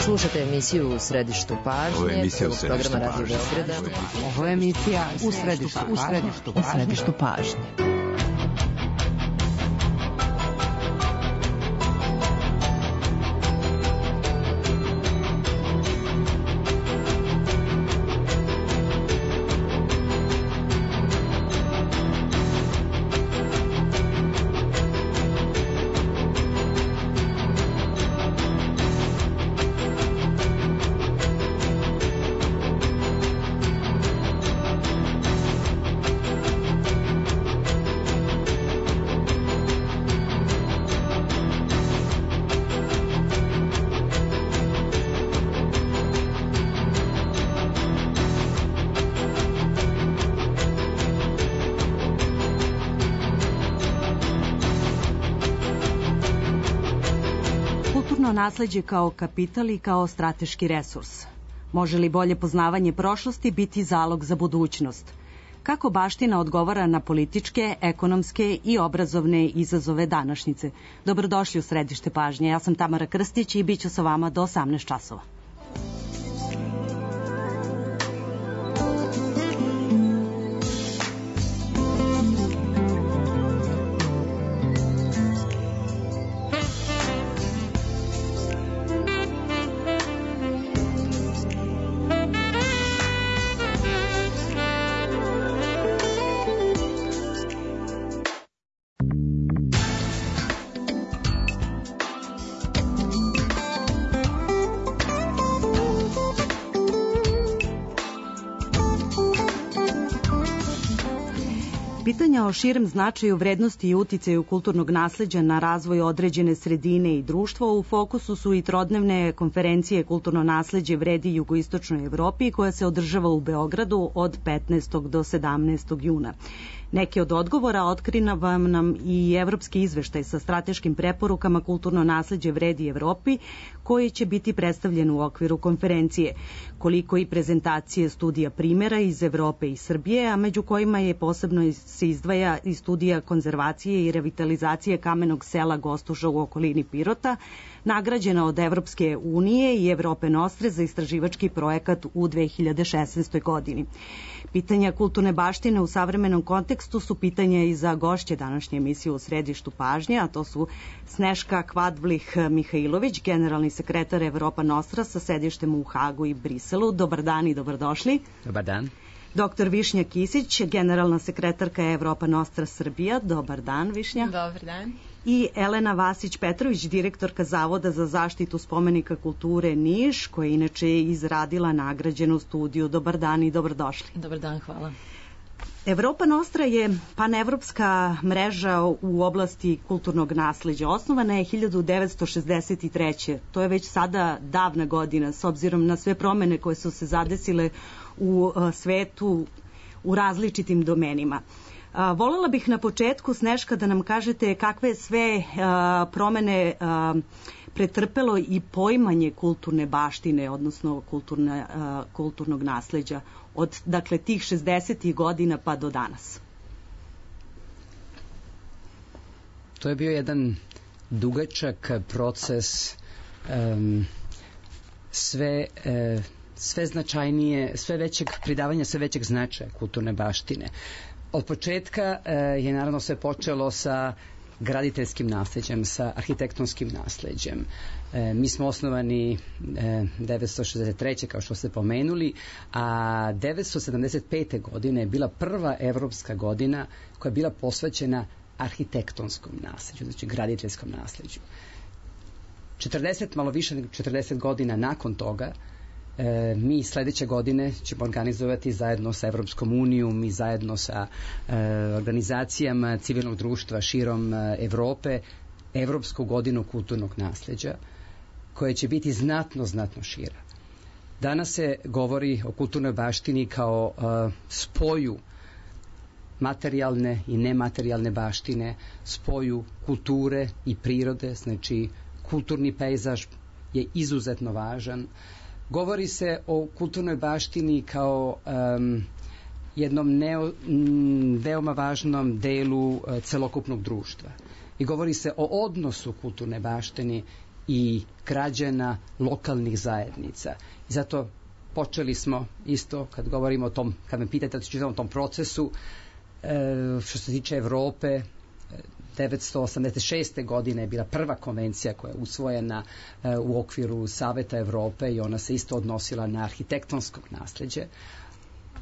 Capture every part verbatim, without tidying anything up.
Slušate emisiju U središtu pažnje. Ovo je emisija U središtu pažnje. Ovo je emisija U središtu pažnje. U središtu pažnje. Nasleđe kao kapital i kao strateški resurs. Može li bolje poznavanje prošlosti biti zalog za budućnost? Kako baština odgovara na političke, ekonomske i obrazovne izazove današnjice? Dobrodošli u središte pažnje. Ja sam Tamara Krstić i bit ću sa vama do osamnaest časova. Pitanja o širem značaju, vrednosti i uticaju kulturnog nasleđa na razvoj određene sredine i društva u fokusu su i trodnevne konferencije Kulturno nasleđe vredi jugoistočnoj Evropi koja se održava u Beogradu od petnaestog do sedamnaestog juna. Neke od odgovora otkriva nam i evropski izveštaj sa strateškim preporukama Kulturno nasleđe vredi Evropi koji će biti predstavljen u okviru konferencije, koliko i prezentacije studija primera iz Evrope i Srbije, a među kojima je posebno se izdvaja i studija konzervacije i revitalizacije kamenog sela Gostuža u okolini Pirota, nagrađena od Evropske unije i Evrope Nostre za istraživački projekat u dve hiljade šesnaestoj. godini. Pitanja kulturne baštine u savremenom kontekstu su pitanja i za gošće današnje emisije U središtu pažnje, a to su Sneška Kvadvlih-Mihajlović, generalni sekretar Evropa Nostra sa sedištem u Hagu i Briselu. Dobar dan i dobrodošli. Dobar dan. Doktor Višnja Kisić, generalna sekretarka Evropa Nostra Srbija. Dobar dan, Višnja. Dobar dan. I Elena Vasić-Petrović, direktorka Zavoda za zaštitu spomenika kulture Niš, koja je inače izradila nagrađenu studiju. Dobar dan i dobrodošli. Dobar dan, hvala. Evropa Nostra je panevropska mreža u oblasti kulturnog nasleđa. Osnovana je hiljadu devetsto šezdeset treće. To je već sada davna godina, s obzirom na sve promene koje su se zadesile u svetu u različitim domenima. Volela bih na početku, Sneška, da nam kažete kakve sve promene pretrpelo i poimanje kulturne baštine, odnosno kulturne, kulturnog nasleđa od, dakle, tih šezdesetih godina pa do danas. To je bio jedan dugačak proces, um, sve, uh, sve značajnije, sve većeg pridavanja, sve većeg značaja kulturne baštine. Od početka uh, je naravno sve počelo sa graditeljskim nasleđem, sa arhitektonskim nasleđem. E, mi smo osnovani e, devetsto šezdeset treće kao što ste pomenuli, a devetsto sedamdeset pete. godine je bila prva evropska godina koja je bila posvećena arhitektonskom nasleđu, znači graditeljskom nasleđu. četrdeset, malo više nego četrdeset godina nakon toga, E, mi sledeće godine ćemo organizovati zajedno sa Evropskom unijom i zajedno sa e, organizacijama civilnog društva širom e, Evrope Evropsku godinu kulturnog nasleđa, koja će biti znatno, znatno šira. Danas se govori o kulturnoj baštini kao e, spoju materijalne i nematerijalne baštine, spoju kulture i prirode, znači kulturni pejzaž je izuzetno važan. Govori se o kulturnoj baštini kao um, jednom neo, m, veoma važnom delu uh, celokupnog društva. I govori se o odnosu kulturne baštini i građana lokalnih zajednica. I zato počeli smo isto, kad govorimo o tom, kad me pitate o tom procesu, što se tiče Evrope, devetsto osamdeset šeste. godine je bila prva konvencija koja je usvojena u okviru Saveta Evrope i ona se isto odnosila na arhitektonskog nasleđe.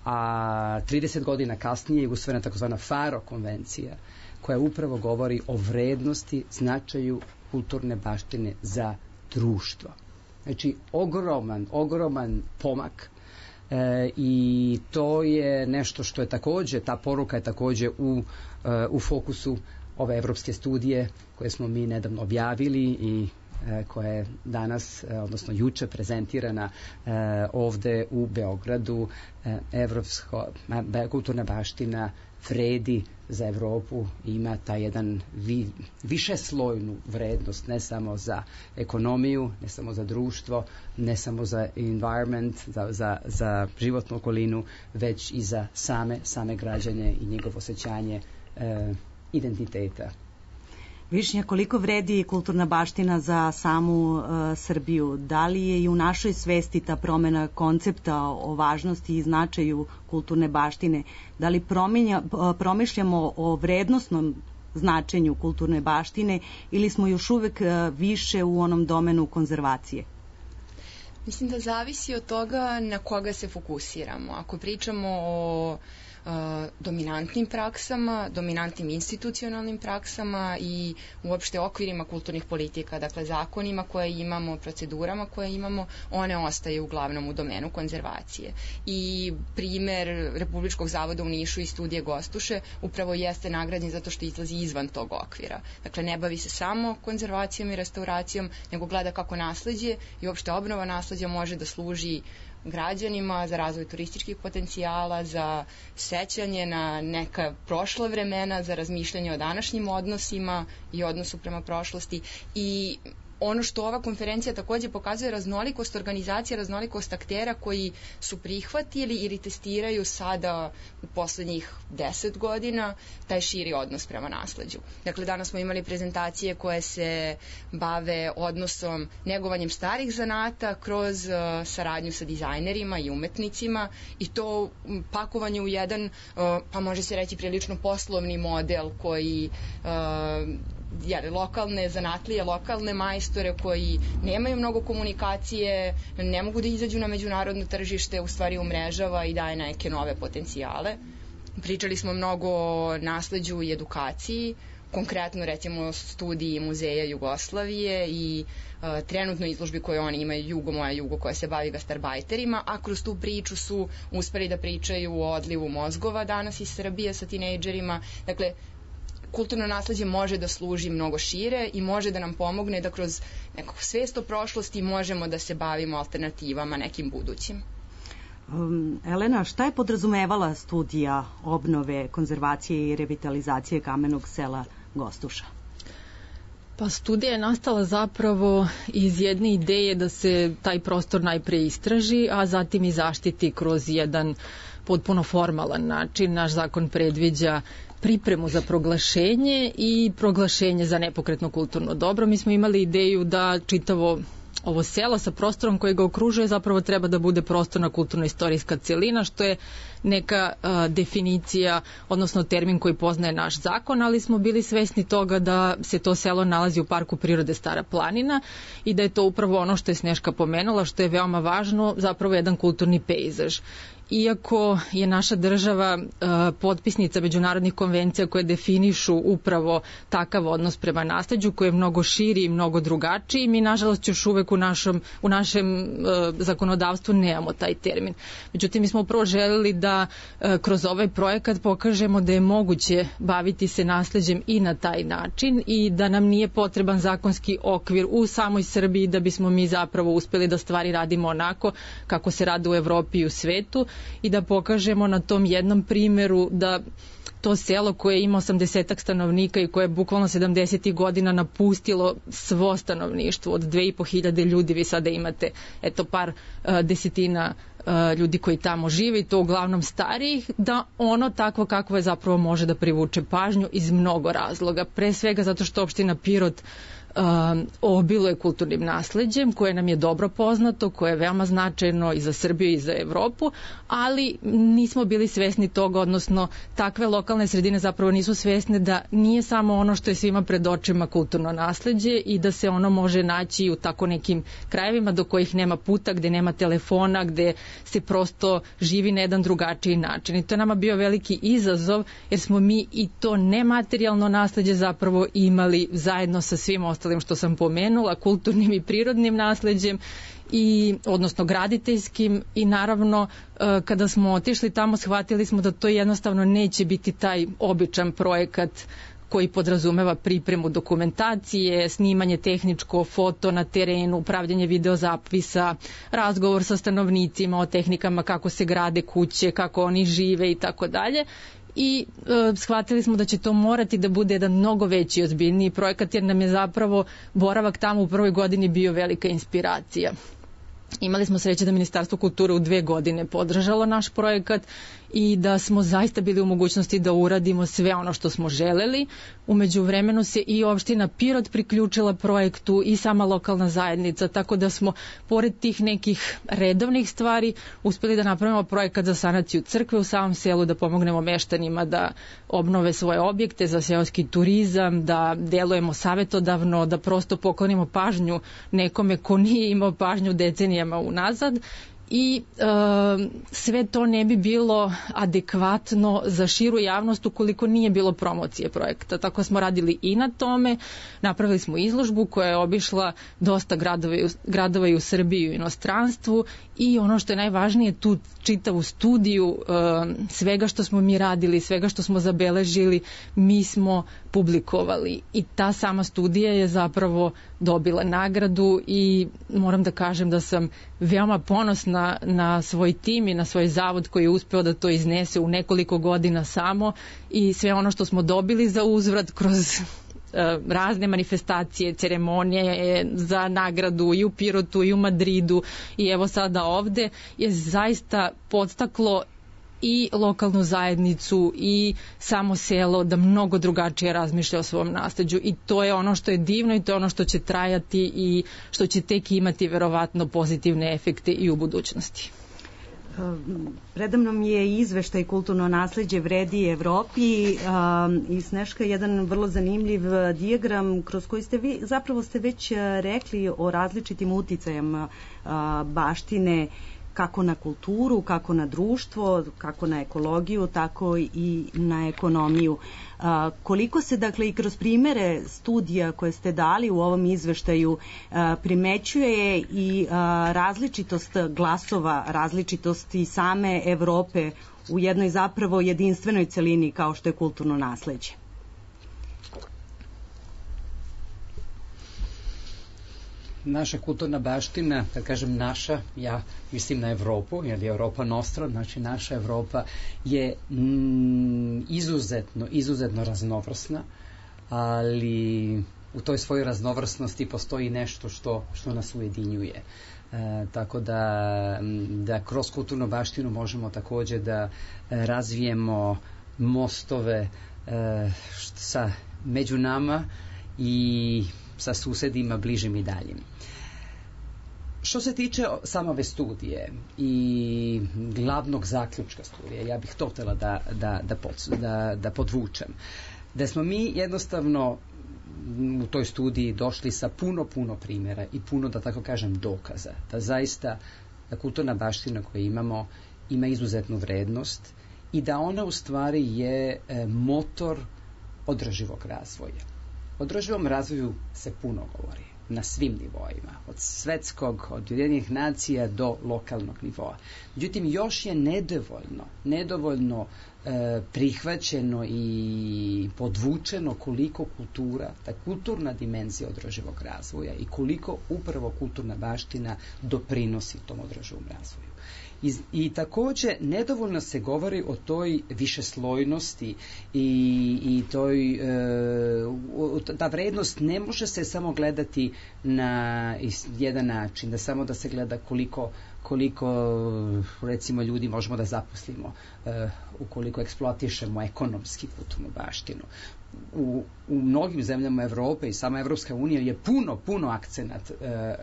A trideset godina kasnije je usvojena takozvana Faro konvencija koja upravo govori o vrednosti, značaju kulturne baštine za društvo. Znači, ogroman, ogroman pomak e, i to je nešto što je takođe, ta poruka je takođe u, e, u fokusu ove evropske studije koje smo mi nedavno objavili i e, koja je danas, e, odnosno juče prezentirana e, ovde u Beogradu. E, evropsko, be, kulturna baština vredi za Evropu, ima taj jedan vi, višeslojnu vrednost, ne samo za ekonomiju, ne samo za društvo, ne samo za environment, za, za, za životnu okolinu, već i za same, same građane i njegovo osjećanje e, identiteta. Višnja, koliko vredi kulturna baština za samu uh, Srbiju? Da li je i u našoj svesti ta promena koncepta o važnosti i značaju kulturne baštine? Da li promenja, uh, promišljamo o vrednosnom značenju kulturne baštine ili smo još uvek uh, više u onom domenu konzervacije? Mislim da zavisi od toga na koga se fokusiramo. Ako pričamo o dominantnim praksama, dominantnim institucionalnim praksama i uopšte okvirima kulturnih politika, dakle zakonima koje imamo, procedurama koje imamo, one ostaje uglavnom u domenu konzervacije. I primer Republičkog zavoda u Nišu i studije Gostuše upravo jeste nagrađen zato što izlazi izvan tog okvira. Dakle, ne bavi se samo konzervacijom i restauracijom, nego gleda kako nasleđe i uopšte obnova nasleđa može da služi građanima, za razvoj turističkih potencijala, za sećanje na neka prošla vremena, za razmišljanje o današnjim odnosima i odnosu prema prošlosti. I ono što ova konferencija takođe pokazuje raznolikost organizacija, raznolikost aktera koji su prihvatili ili testiraju sada u poslednjih deset godina taj širi odnos prema nasleđu. Dakle, danas smo imali prezentacije koje se bave odnosom, negovanjem starih zanata kroz uh, saradnju sa dizajnerima i umetnicima i to pakovanje u jedan, uh, pa može se reći prilično poslovni model koji uh, jer lokalne zanatlije, lokalne majstore koji nemaju mnogo komunikacije, ne mogu da izađu na međunarodno tržište, u stvari umrežava i daje neke nove potencijale. Pričali smo mnogo o nasleđu i edukaciji, konkretno recimo studiji Muzeja Jugoslavije i uh, trenutnoj izložbi koju oni imaju, Jugo moja Jugo, koja se bavi gastarbajterima, a kroz tu priču su uspeli da pričaju o odlivu mozgova danas iz Srbije sa tinejdžerima. Dakle, kulturno nasleđe može da služi mnogo šire i može da nam pomogne da kroz nekog svest o prošlosti možemo da se bavimo alternativama nekim budućim. Um, Elena, šta je podrazumevala studija obnove, konzervacije i revitalizacije kamenog sela Gostuša? Pa studija je nastala zapravo iz jedne ideje da se taj prostor najpre istraži, a zatim i zaštiti kroz jedan potpuno formalan način. Naš zakon predviđa pripremu za proglašenje i proglašenje za nepokretno kulturno dobro. Mi smo imali ideju da čitavo ovo selo sa prostorom koji ga okružuje zapravo treba da bude prostorna kulturno-istorijska celina, što je neka a, definicija, odnosno termin koji poznaje naš zakon, ali smo bili svesni toga da se to selo nalazi u Parku prirode Stara planina i da je to upravo ono što je Sneška pomenula, što je veoma važno, zapravo jedan kulturni pejzaž. Iako je naša država uh, potpisnica međunarodnih konvencija koje definišu upravo takav odnos prema nasleđu koji je mnogo širi i mnogo drugačiji, mi nažalost još uvek u, našom, u našem uh, zakonodavstvu nemamo taj termin. Međutim, mi smo upravo želeli da uh, kroz ovaj projekat pokažemo da je moguće baviti se nasleđem i na taj način i da nam nije potreban zakonski okvir u samoj Srbiji da bismo mi zapravo uspeli da stvari radimo onako kako se rade u Evropi i u svetu, i da pokažemo na tom jednom primeru da to selo koje ima osamdesetak stanovnika i koje je bukvalno sedamdesetih godina napustilo svo stanovništvo od dve i po hiljade ljudi, vi sada imate eto par uh, desetina uh, ljudi koji tamo žive i to uglavnom starijih, da ono takvo kakvo je zapravo može da privuče pažnju iz mnogo razloga. Pre svega zato što opština Pirot obiluje kulturnim nasleđem koje nam je dobro poznato, koje je veoma značajno i za Srbiju i za Evropu, ali nismo bili svesni toga, odnosno takve lokalne sredine zapravo nisu svesne da nije samo ono što je svima pred očima kulturno nasleđe i da se ono može naći u tako nekim krajevima do kojih nema puta, gde nema telefona, gde se prosto živi na jedan drugačiji način. I to je nama bio veliki izazov, jer smo mi i to nematerijalno nasleđe zapravo imali zajedno sa svim ostalim što sam pomenula, kulturnim i prirodnim nasleđem, i, odnosno graditeljskim, i naravno kada smo otišli tamo shvatili smo da to jednostavno neće biti taj običan projekat koji podrazumeva pripremu dokumentacije, snimanje tehničko, foto na terenu, pravljanje videozapisa, razgovor sa stanovnicima o tehnikama kako se grade kuće, kako oni žive i tako dalje. I e, shvatili smo da će to morati da bude jedan mnogo veći, ozbiljniji projekat, jer nam je zapravo boravak tamo u prvoj godini bio velika inspiracija. Imali smo sreće da Ministarstvo kulture u dve godine podržalo naš projekat i da smo zaista bili u mogućnosti da uradimo sve ono što smo želeli. Umeđu vremenu se i opština Pirot priključila projektu i sama lokalna zajednica, tako da smo pored tih nekih redovnih stvari uspeli da napravimo projekat za sanaciju crkve u samom selu, da pomognemo meštanima da obnove svoje objekte za seoski turizam, da delujemo savetodavno, da prosto poklonimo pažnju nekome ko nije imao pažnju decenijama unazad. I e, sve to ne bi bilo adekvatno za širu javnost ukoliko nije bilo promocije projekta. Tako smo radili i na tome, napravili smo izložbu koja je obišla dosta gradova, gradova i u Srbiji i u inostranstvu, i ono što je najvažnije, tu čitavu studiju e, svega što smo mi radili, svega što smo zabeležili, mi smo publikovali, i ta sama studija je zapravo dobila nagradu i moram da kažem da sam veoma ponosna na svoj tim i na svoj zavod koji je uspeo da to iznese u nekoliko godina samo, i sve ono što smo dobili za uzvrat kroz razne manifestacije, ceremonije za nagradu i u Pirotu i u Madridu i evo sada ovde, je zaista podstaklo i lokalnu zajednicu i samo selo da mnogo drugačije razmišlja o svom nasleđu, i to je ono što je divno i to je ono što će trajati i što će tek imati verovatno pozitivne efekte i u budućnosti. Predamnom je izveštaj Kulturno nasleđe vredi Evropi i Sneška jedan vrlo zanimljiv dijagram kroz koji ste vi, zapravo ste već rekli o različitim uticajama baštine, kako na kulturu, kako na društvo, kako na ekologiju, tako i na ekonomiju. A, koliko se, dakle, i kroz primere studija koje ste dali u ovom izveštaju a, primećuje i a, različitost glasova, različitost i same Evrope u jednoj zapravo jedinstvenoj celini kao što je kulturno nasleđe? Naša kulturna baština, kad kažem naša, ja mislim na Evropu, jer je Evropa nostra, znači naša Evropa je mm, izuzetno, izuzetno raznovrsna, ali u toj svojoj raznovrsnosti postoji nešto što, što nas ujedinjuje. E, tako da, da kroz kulturnu baštinu možemo takođe da razvijemo mostove e, sa među nama i sa susedima bližim i daljim. Što se tiče same ove studije i glavnog zaključka studije, ja bih to htjela da, da, da, pod, da, da podvučem. Da smo mi jednostavno u toj studiji došli sa puno, puno primjera i puno, da tako kažem, dokaza. Da zaista da kulturna baština koju imamo ima izuzetnu vrednost i da ona u stvari je motor održivog razvoja. O održivom razvoju se puno govori na svim nivoima, od svetskog, od Ujedinjenih nacija do lokalnog nivoa. Međutim, još je nedovoljno, nedovoljno e, prihvaćeno i podvučeno koliko kultura, ta kulturna dimenzija održivog razvoja i koliko upravo kulturna baština doprinosi tom održivom razvoju. I, i takođe nedovoljno se govori o toj višeslojnosti i, i toj e, ta vrednost ne može se samo gledati na jedan način, da samo da se gleda koliko koliko recimo ljudi možemo da zaposlimo uh, ukoliko eksploatišemo ekonomski kulturnu baštinu. u, u mnogim zemljama Evrope i sama Evropska unija je puno, puno akcenat e, e,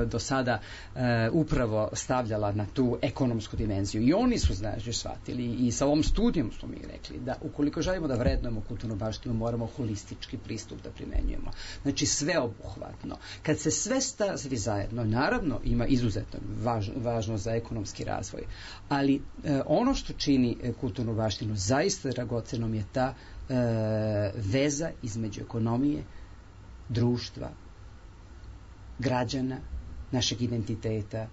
do sada e, upravo stavljala na tu ekonomsku dimenziju. I oni su, znači, shvatili i sa ovom studijom smo mi rekli da ukoliko želimo da vrednujemo kulturnu baštinu, moramo holistički pristup da primenjujemo. Znači, sveobuhvatno. Kad se sve stavi zajedno, naravno ima izuzetno važno, važno za ekonomski razvoj, ali e, ono što čini kulturnu baštinu zaista dragocenom je ta E, veza između ekonomije, društva, građana, našeg identiteta,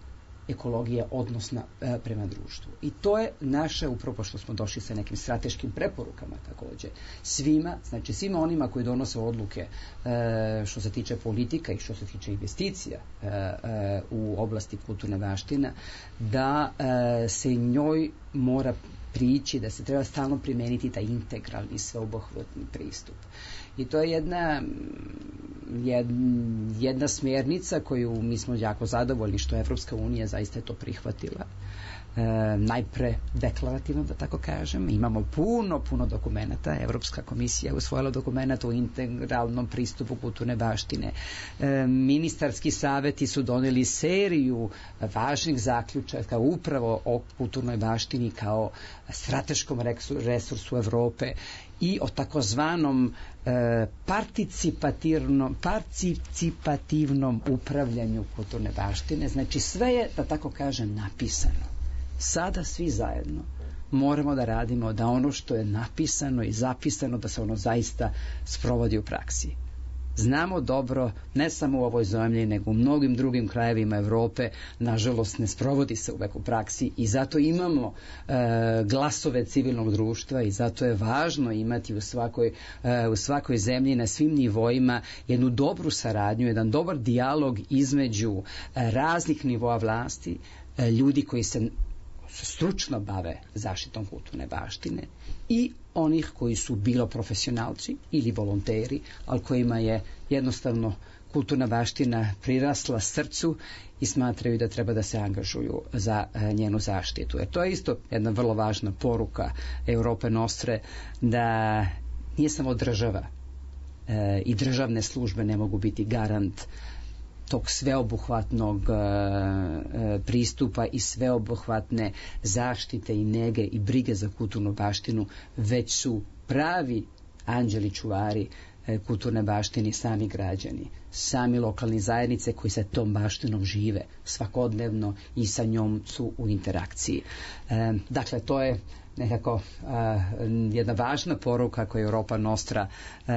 ekologije, odnosna e, prema društvu. I to je naše, upravo što smo došli sa nekim strateškim preporukama takođe. Svima, znači svima onima koji donose odluke e, što se tiče politika i što se tiče investicija e, e, u oblasti kulturne baštine, da e, se njoj mora prići, da se treba stalno primeniti taj integralni, sveobuhvatni pristup. I to je jedna, jedna smjernica koju mi smo jako zadovoljni što Evropska unija zaista je to prihvatila. E, najpre deklarativno, da tako kažem. Imamo puno, puno dokumenta. Evropska komisija je usvojila dokumenta o integralnom pristupu kulturne baštine. E, ministarski saveti su doneli seriju važnih zaključaka upravo o kulturnoj baštini kao strateškom resursu Evrope i o takozvanom e, participativnom, participativnom upravljanju kulturne baštine. Znači sve je, da tako kažem, napisano. Sada svi zajedno moramo da radimo da ono što je napisano i zapisano da se ono zaista sprovodi u praksi. Znamo dobro, ne samo u ovoj zemlji, nego u mnogim drugim krajevima Evrope, nažalost ne sprovodi se uvek u praksi i zato imamo e, glasove civilnog društva i zato je važno imati u svakoj, e, u svakoj zemlji na svim nivoima jednu dobru saradnju, jedan dobar dijalog između e, raznih nivoa vlasti, e, ljudi koji se stručno bave zaštitom kulturne baštine i onih koji su bilo profesionalci ili volonteri, ali kojima je jednostavno kulturna baština prirasla srcu i smatraju da treba da se angažuju za njenu zaštitu. Jer to je isto jedna vrlo važna poruka Europe Nostre, da nije samo država e, i državne službe ne mogu biti garant tog sveobuhvatnog e, pristupa i sveobuhvatne zaštite i nege i brige za kulturnu baštinu, već su pravi anđeli čuvari e, kulturne baštine sami građani, sami lokalni zajednice koji sa tom baštinom žive svakodnevno i sa njom su u interakciji. E, dakle, to je nekako uh, jedna važna poruka koju Europa Nostra uh,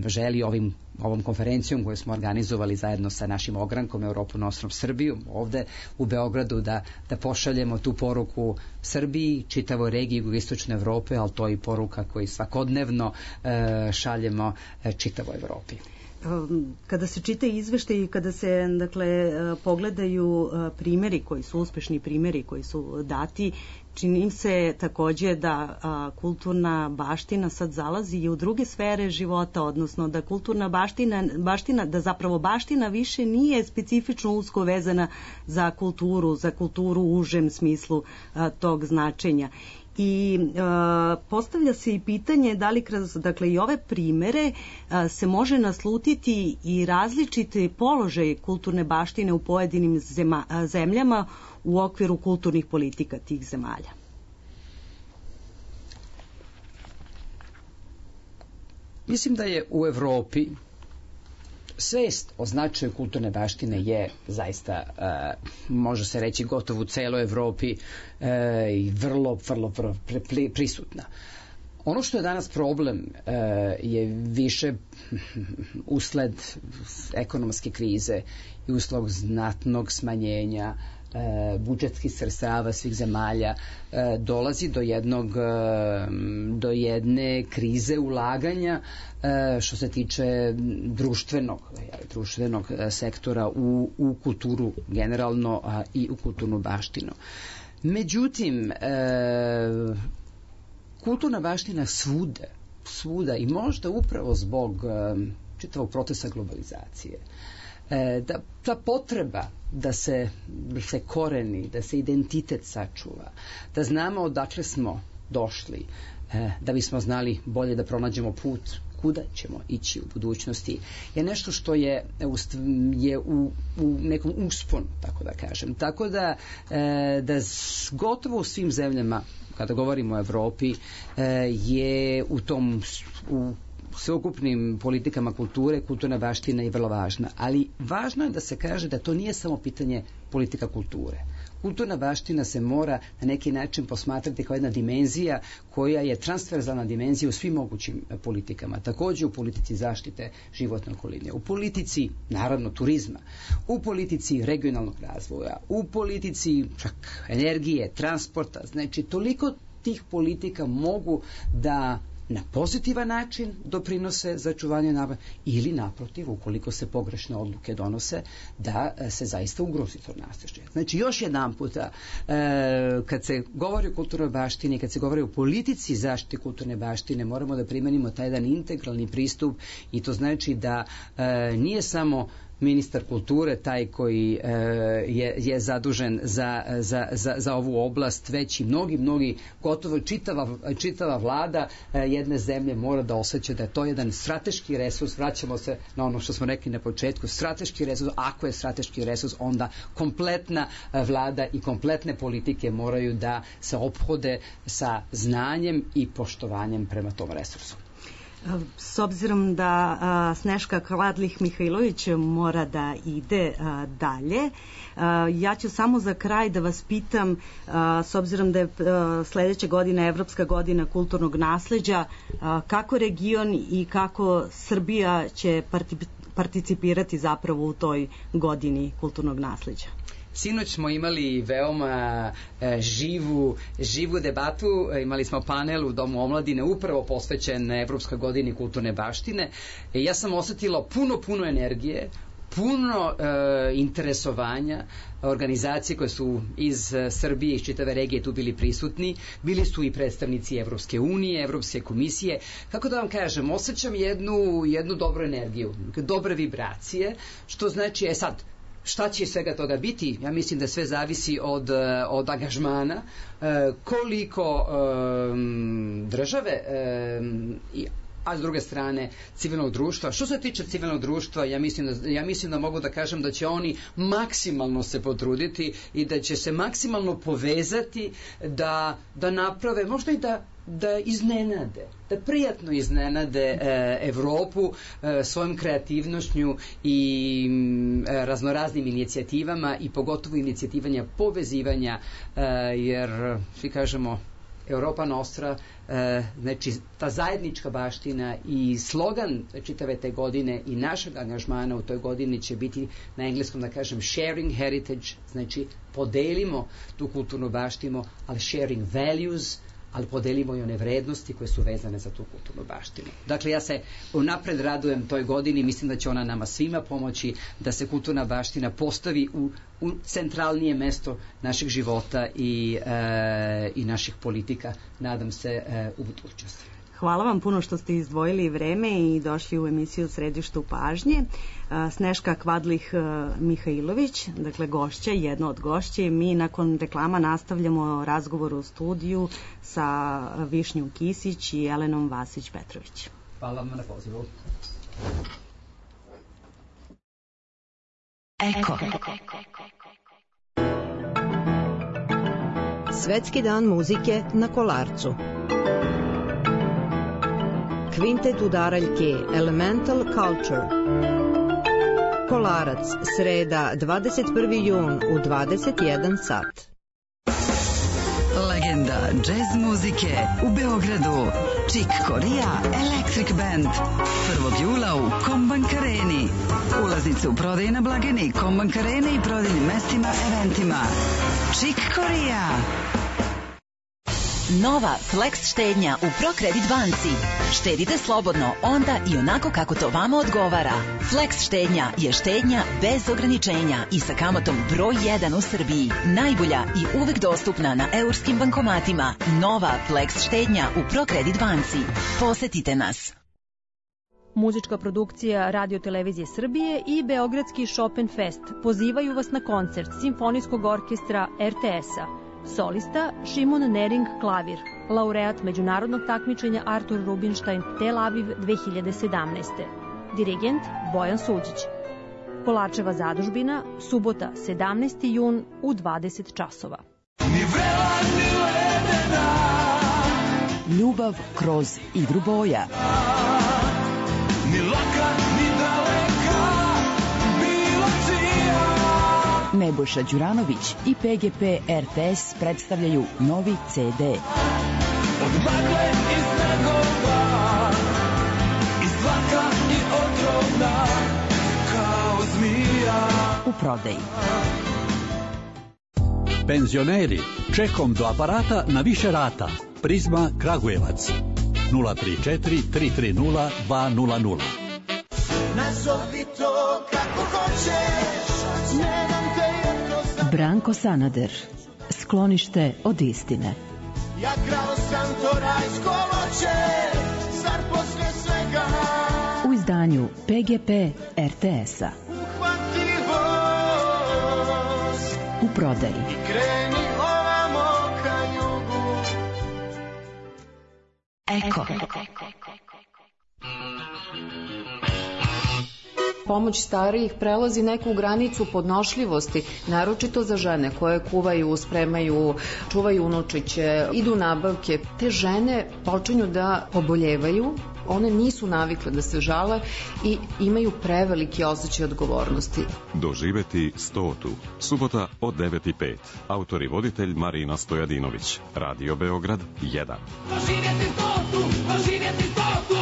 želi ovim, ovom konferencijom koju smo organizovali zajedno sa našim ogrankom Europu Nostrom Srbiju ovde u Beogradu da, da pošaljemo tu poruku Srbiji, čitavoj regiji jugoistočne Evrope, ali to je i poruka koju svakodnevno uh, šaljemo uh, čitavoj Evropi. Kada se čita izveštaj i kada se, dakle, pogledaju primeri koji su uspešni primeri koji su dati, čini se takođe da a, kulturna baština sad zalazi i u druge sfere života, odnosno da kulturna baština, baština, da zapravo baština više nije specifično usko vezana za kulturu, za kulturu u užem smislu a, tog značenja. I e, postavlja se i pitanje da li kroz, dakle, i ove primere e, se može naslutiti i različiti položaj kulturne baštine u pojedinim zema, zemljama u okviru kulturnih politika tih zemalja. Mislim da je u Evropi svest o značaju kulturne baštine je zaista, uh, može se reći, gotovo u celoj Evropi uh, i vrlo, vrlo, vrlo prisutna. Ono što je danas problem uh, je više usled ekonomske krize i usled znatnog smanjenja e, budžetskih sredstava svih zemalja, e, dolazi do jednog e, do jedne krize ulaganja e, što se tiče društvenog društvenog sektora u, u kulturu generalno, a i u kulturnu baštinu. Međutim, e, kulturna baština svuda, svuda i možda upravo zbog e, čitavog procesa globalizacije, da ta potreba da se, se koreni, da se identitet sačuva, da znamo odakle smo došli, da bismo znali bolje da pronađemo put kuda ćemo ići u budućnosti, je nešto što je, je u, u nekom usponu, tako da kažem. Tako da, da gotovo u svim zemljama, kada govorimo o Evropi, je u tom u sveukupnim politikama kulture, kulturna baština je vrlo važna. Ali važno je da se kaže da to nije samo pitanje politika kulture. Kulturna baština se mora na neki način posmatrati kao jedna dimenzija koja je transverzalna dimenzija u svim mogućim politikama. Takođe u politici zaštite životne okoline, u politici, naravno, turizma, u politici regionalnog razvoja, u politici čak energije, transporta. Znači, toliko tih politika mogu da na pozitivan način doprinose za čuvanje naba ili naprotiv, ukoliko se pogrešne odluke donose, da se zaista ugrozi to nasleđe. Znači, još jedan puta, e, kad se govori o kulturnoj baštini, kad se govori o politici zaštite kulturne baštine, moramo da primenimo taj jedan integralni pristup i to znači da e, nije samo ministar kulture taj koji e, je, je zadužen za, za, za, za ovu oblast, već i mnogi, mnogi, gotovo čitava, čitava vlada e, jedne zemlje mora da osjeća da je to jedan strateški resurs. Vraćamo se na ono što smo rekli na početku, strateški resurs. Ako je strateški resurs, onda kompletna vlada i kompletne politike moraju da se ophode sa znanjem i poštovanjem prema tom resursu. S obzirom da a, Sneška Kladlih-Mihajlović mora da ide a, dalje, a, ja ću samo za kraj da vas pitam, a, s obzirom da je a, sledeća godina Evropska godina kulturnog nasleđa, a, kako region i kako Srbija će participirati zapravo u toj godini kulturnog nasleđa? Sinoć smo imali veoma e, živu, živu debatu, e, imali smo panel u Domu omladine upravo posvećen Evropskoj godini kulturne baštine. E, ja sam osetila puno, puno energije, puno e, interesovanja, organizacije koje su iz Srbije, iz čitave regije tu bili prisutni, bili su i predstavnici Evropske unije, Evropske komisije. Kako da vam kažem, osjećam jednu, jednu dobru energiju, dobre vibracije, što znači, e sad, šta će svega toga biti? Ja mislim da sve zavisi od, od angažmana, koliko um, države um, i a s druge strane civilnog društva. Što se tiče civilnog društva, ja mislim da, ja mislim da mogu da kažem da će oni maksimalno se potruditi i da će se maksimalno povezati da, da naprave, možda i da da iznenade, da prijatno iznenade e, Evropu e, svojom kreativnošću i e, raznoraznim inicijativama i pogotovo inicijativanja povezivanja, e, jer svi kažemo Europa Nostra, e, znači ta zajednička baština i slogan čitave te godine i našeg angažmana u toj godini će biti na engleskom da kažem sharing heritage, znači podelimo tu kulturnu baštinu, ali sharing values, ali podelimo i one vrednosti koje su vezane za tu kulturnu baštinu. Dakle, ja se unapred radujem toj godini, mislim da će ona nama svima pomoći da se kulturna baština postavi u, u centralnije mesto našeg života i, e, i naših politika, nadam se, e, u budućnosti. Hvala vam puno što ste izdvojili vreme i došli u emisiju Središtu pažnje. Sneška Kvadlih-Mihajlović, dakle gošća, jedna od gošće. Mi nakon reklama nastavljamo razgovor u studiju sa Višnjom Kisić i Elenom Vasić-Petrović. Hvala vam na pozivu. Eko. Svetski dan muzike na Kolarcu. Kvintet udaraljke Elemental Culture. Kolarac, sreda, dvadeset prvi jun u dvadeset jedan sat. Legenda džez muzike u Beogradu. Chick Corea Electric Band. prvog jula u Kombank Areni. Ulaznice u prodaji na blagajni Kombank Arene i prodajnim mestima, eventima. Chick Corea. Nova Flex štednja u ProCredit banci. Štedite slobodno onda i onako kako to vama odgovara. Flex štednja je štednja bez ograničenja i sa kamatom broj jedan u Srbiji. Najbolja i uvek dostupna na eurskim bankomatima. Nova Flex štednja u ProCredit banci. Posetite nas. Muzička produkcija Radio Televizije Srbije i Beogradski Chopin Fest pozivaju vas na koncert Simfonijskog orkestra er te es-a Solista Šimon Nering klavir, laureat međunarodnog takmičenja Artur Rubinstein Tel Aviv dve hiljade sedamnaeste. Dirigent Bojan Suđić. Kolarčeva zadužbina, subota sedamnaesti jun u dvadeset časova. Ni vrela, ni ledena. Ljubav kroz igru boja. Ni laka, ni daleka, bila čija. Nebojša Đuranović i P G P R T S predstavljaju novi C D. Od magle i snegova, i svaka i otrovna, kao zmija. U prodaji. Penzioneri, čekom do aparata na više rata. Prizma Kragujevac. nula tri četiri tri tri nula dva nula nula. Nazovi to kako hoćeš, nemam te jednostavno. Branko Sanader. Sklonište od istine. Ja krao sam to rajsko voće, zar posle svega. U izdanju P G P R T S-a. Uhvati voz u prodaji. I kreni ovamo ka jugu. Eko. Pomoć starijih prelazi neku granicu podnošljivosti, naročito za žene koje kuvaju, spremaju, čuvaju unučiće, idu nabavke. Te žene počinju da poboljevaju, one nisu navikle da se žale i imaju preveliki osjećaj odgovornosti. Doživeti stotu. Subota od devet i pet. Autor i voditelj Marina Stojadinović. Radio Beograd jedan. Doživjeti stotu, doživjeti stotu.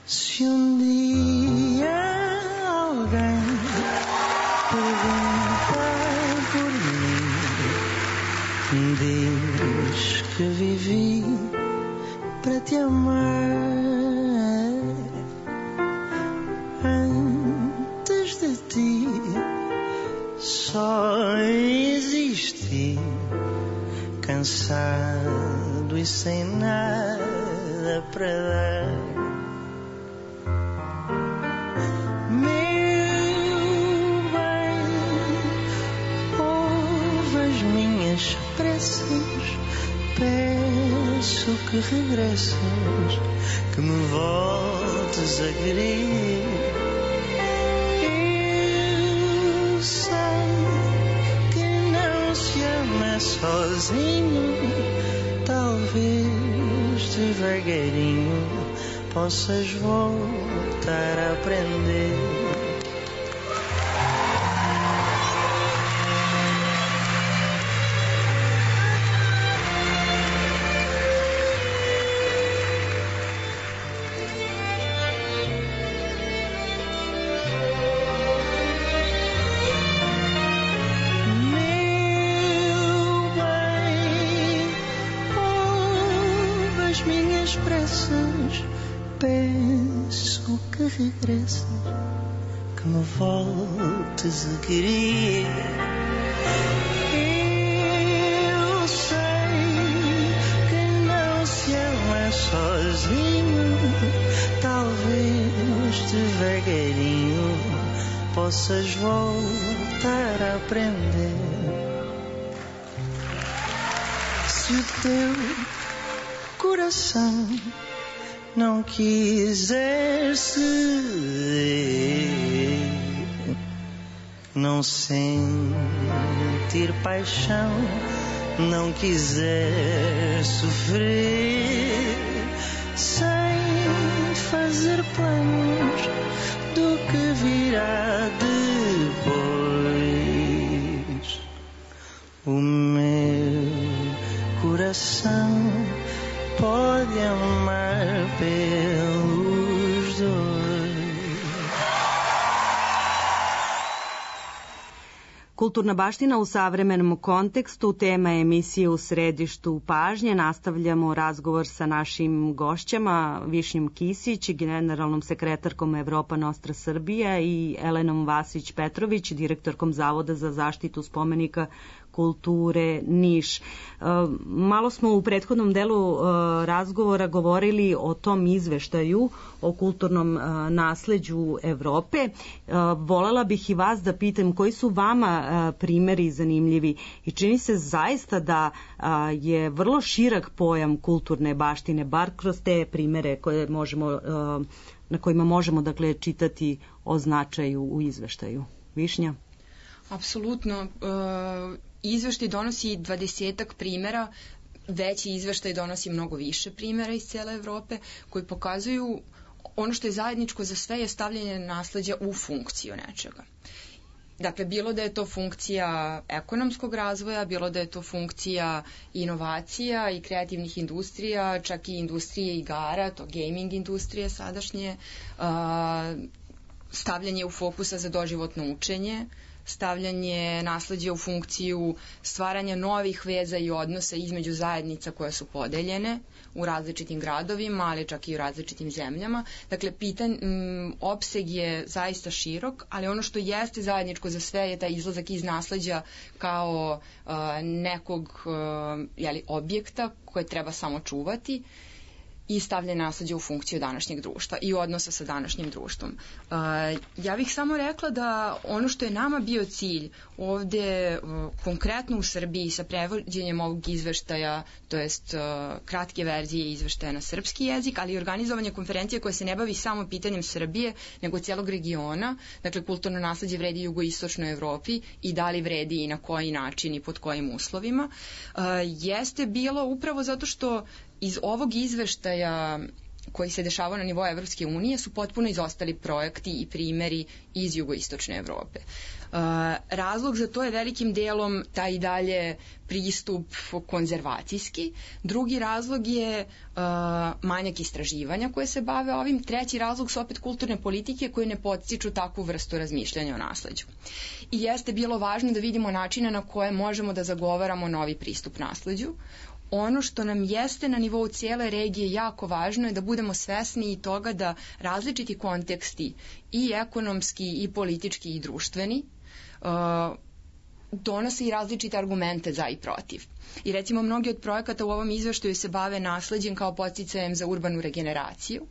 Se um dia alguém perguntar por mim, diz que vivi para te amar. Antes de ti só existi, cansado e sem nada para dar. Peço que regresses, que me voltes a querer. Eu sei que não se ama sozinho, talvez devagarinho possas voltar a aprender. Peço que regresses, que me voltes a querer. Eu sei que não se ama sozinho, talvez devagarinho possas voltar a aprender. Se o teu coração não quiser ceder, não sentir paixão, não quiser sofrer, sem fazer planos do que virá depois. O meu coração pode amar pelos dois. Kulturna baština u savremenom kontekstu, tema emisije U središtu pažnje. Nastavljamo razgovor sa našim gošćama, Višnjom Kisić, generalnom sekretarkom Evropa Nostra Srbija, i Elenom Vasić-Petrović, direktorkom Zavoda za zaštitu spomenika kulture Niš. Malo smo u prethodnom delu razgovora govorili o tom izveštaju o kulturnom nasleđu Evrope. Volela bih i vas da pitam koji su vama primeri zanimljivi, i čini se zaista da je vrlo širak pojam kulturne baštine, bar kroz te primere koje možemo, na kojima možemo dakle čitati o značaju u izveštaju. Višnja? Apsolutno. Izveštaj donosi dvadesetak primera, veći izveštaj donosi mnogo više primera iz cele Evrope, koji pokazuju ono što je zajedničko za sve je stavljanje nasleđa u funkciju nečega. Dakle, bilo da je to funkcija ekonomskog razvoja, bilo da je to funkcija inovacija i kreativnih industrija, čak i industrije igara, to gaming industrije sadašnje, stavljanje u fokusa za doživotno učenje, stavljanje nasleđa u funkciju stvaranja novih veza i odnosa između zajednica koje su podeljene u različitim gradovima, ali čak i u različitim zemljama. Dakle, pitan, m, opseg je zaista širok, ali ono što jeste zajedničko za sve je taj izlazak iz nasleđa kao uh, nekog uh, jeli, objekta koje treba samo čuvati i stavlja nasleđe u funkciju današnjeg društva i odnosa sa današnjim društvom. Uh, ja bih samo rekla da ono što je nama bio cilj ovde, uh, konkretno u Srbiji sa prevođenjem ovog izveštaja, to jest uh, kratke verzije izveštaja na srpski jezik, ali i organizovanje konferencije koja se ne bavi samo pitanjem Srbije, nego celog regiona, dakle kulturno nasleđe vredi jugoistočnoj Evropi i da li vredi i na koji način i pod kojim uslovima, uh, jeste bilo upravo zato što iz ovog izveštaja koji se dešavao na nivou Evropske unije su potpuno izostali projekti i primeri iz jugoistočne Evrope. Uh, razlog za to je velikim delom taj i dalje pristup konzervacijski. Drugi razlog je uh, manjak istraživanja koje se bave ovim. Treći razlog su opet kulturne politike koje ne podstiču takvu vrstu razmišljanja o nasleđu. I jeste bilo važno da vidimo načine na koje možemo da zagovaramo novi pristup nasleđu. Ono što nam jeste na nivou cijele regije jako važno je da budemo svesni i toga da različiti konteksti, i ekonomski, i politički, i društveni, uh, donose i različite argumente za i protiv. I recimo mnogi od projekata u ovom izveštaju se bave nasleđem kao podsticajem za urbanu regeneraciju.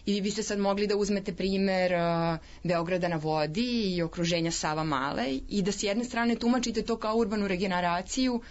I vi biste sad mogli da uzmete primer uh, Beograda na vodi i okruženja Sava Male i da s jedne strane tumačite to kao urbanu regeneraciju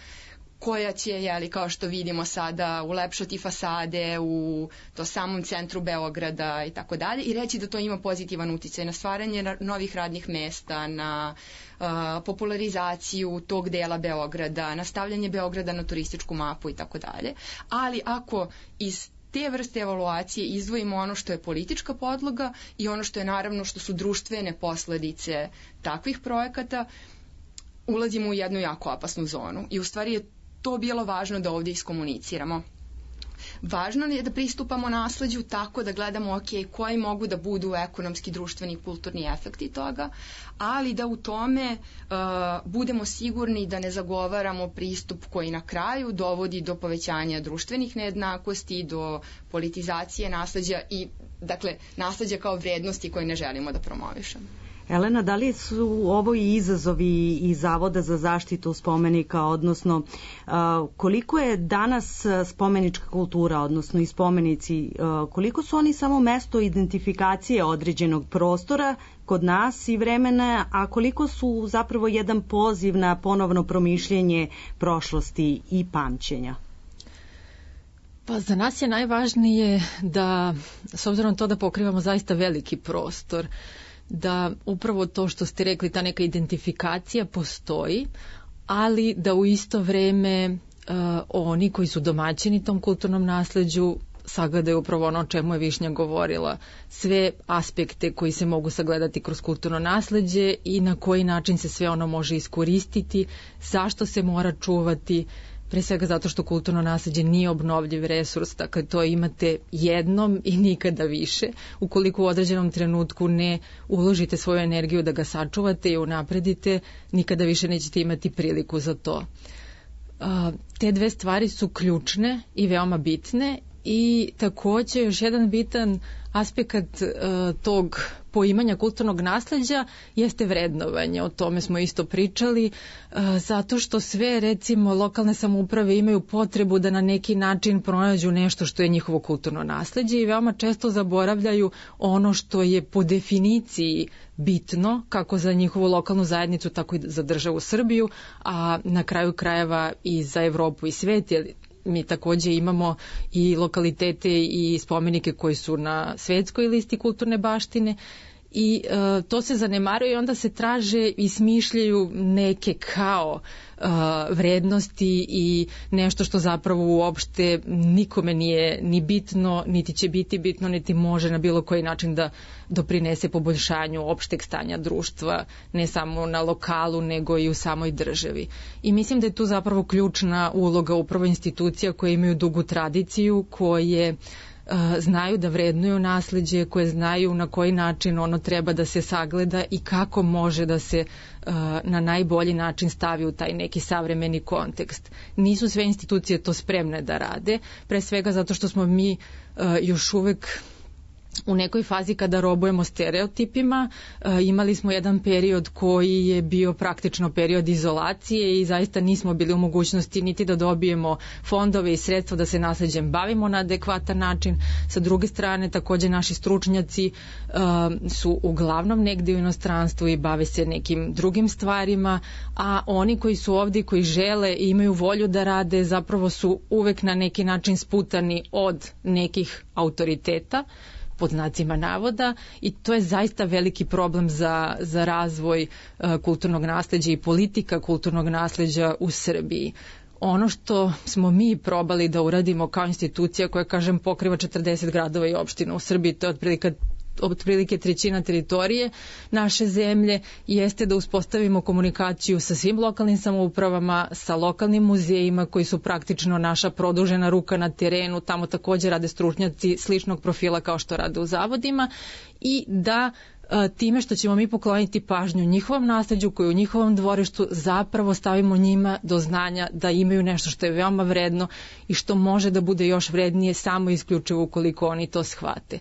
koja će, jeli, kao što vidimo sada, ulepšati fasade u to samom centru Beograda i tako dalje, i reći da to ima pozitivan uticaj na stvaranje novih radnih mesta, na uh, popularizaciju tog dela Beograda, na stavljanje Beograda na turističku mapu i tako dalje. Ali ako iz te vrste evaluacije izdvojimo ono što je politička podloga i ono što je naravno što su društvene posledice takvih projekata, ulazimo u jednu jako opasnu zonu. I u stvari je to bilo važno da ovdje iskomuniciramo. Važno je da pristupamo nasleđu tako da gledamo ok, koji mogu da budu ekonomski, društveni i kulturni efekti toga, ali da u tome uh, budemo sigurni da ne zagovaramo pristup koji na kraju dovodi do povećanja društvenih nejednakosti, do politizacije nasleđa i dakle nasleđa kao vrednosti koje ne želimo da promovišemo. Elena, da li su ovo i izazovi i Zavoda za zaštitu spomenika, odnosno koliko je danas spomenička kultura, odnosno i spomenici, koliko su oni samo mesto identifikacije određenog prostora kod nas i vremena, a koliko su zapravo jedan poziv na ponovno promišljenje prošlosti i pamćenja? Pa za nas je najvažnije da, s obzirom na to da pokrivamo zaista veliki prostor, da upravo to što ste rekli, ta neka identifikacija postoji, ali da u isto vreme uh, oni koji su domaćini tom kulturnom nasleđu sagledaju upravo ono o čemu je Višnja govorila, sve aspekte koji se mogu sagledati kroz kulturno nasleđe i na koji način se sve ono može iskoristiti, zašto se mora čuvati, pre svega zato što kulturno nasleđe nije obnovljiv resurs, dakle to imate jednom i nikada više. Ukoliko u određenom trenutku ne uložite svoju energiju da ga sačuvate i unapredite, nikada više nećete imati priliku za to. Te dve stvari su ključne i veoma bitne i takođe još jedan bitan aspekt uh, tog poimanja kulturnog nasleđa jeste vrednovanje. O tome smo isto pričali, uh, zato što sve recimo lokalne samouprave imaju potrebu da na neki način pronađu nešto što je njihovo kulturno nasleđe i veoma često zaboravljaju ono što je po definiciji bitno kako za njihovu lokalnu zajednicu, tako i za državu Srbiju, a na kraju krajeva i za Evropu i svet, jer mi takođe imamo i lokalitete i spomenike koji su na svetskoj listi kulturne baštine i e, to se zanemaruje i onda se traže i smišljaju neke kao e, vrednosti i nešto što zapravo uopšte nikome nije ni bitno, niti će biti bitno, niti može na bilo koji način da doprinese poboljšanju opšteg stanja društva, ne samo na lokalu, nego i u samoj državi. I mislim da je tu zapravo ključna uloga upravo institucija koje imaju dugu tradiciju, koje znaju da vrednuju nasleđe, koje znaju na koji način ono treba da se sagleda i kako može da se uh, na najbolji način stavi u taj neki savremeni kontekst. Nisu sve institucije to spremne da rade, pre svega zato što smo mi uh, još uvek u nekoj fazi kada robujemo stereotipima. E, imali smo jedan period koji je bio praktično period izolacije i zaista nismo bili u mogućnosti niti da dobijemo fondove i sredstva da se nasleđem bavimo na adekvatan način. Sa druge strane, takođe naši stručnjaci e, su uglavnom negde u inostranstvu i bave se nekim drugim stvarima, a oni koji su ovdje, koji žele i imaju volju da rade, zapravo su uvek na neki način sputani od nekih autoriteta, pod znacima navoda, i to je zaista veliki problem za, za razvoj uh, kulturnog nasleđa i politika kulturnog nasleđa u Srbiji. Ono što smo mi probali da uradimo kao institucija koja, kažem, pokriva četrdeset gradova i opština u Srbiji, to je otprilike otprilike trećina teritorije naše zemlje, jeste da uspostavimo komunikaciju sa svim lokalnim samoupravama, sa lokalnim muzejima koji su praktično naša produžena ruka na terenu, tamo takođe rade stručnjaci sličnog profila kao što rade u zavodima, i da time što ćemo mi pokloniti pažnju njihovom nasleđu koji je u njihovom dvorištu, zapravo stavimo njima do znanja da imaju nešto što je veoma vredno i što može da bude još vrednije samo isključivo ukoliko oni to shvate.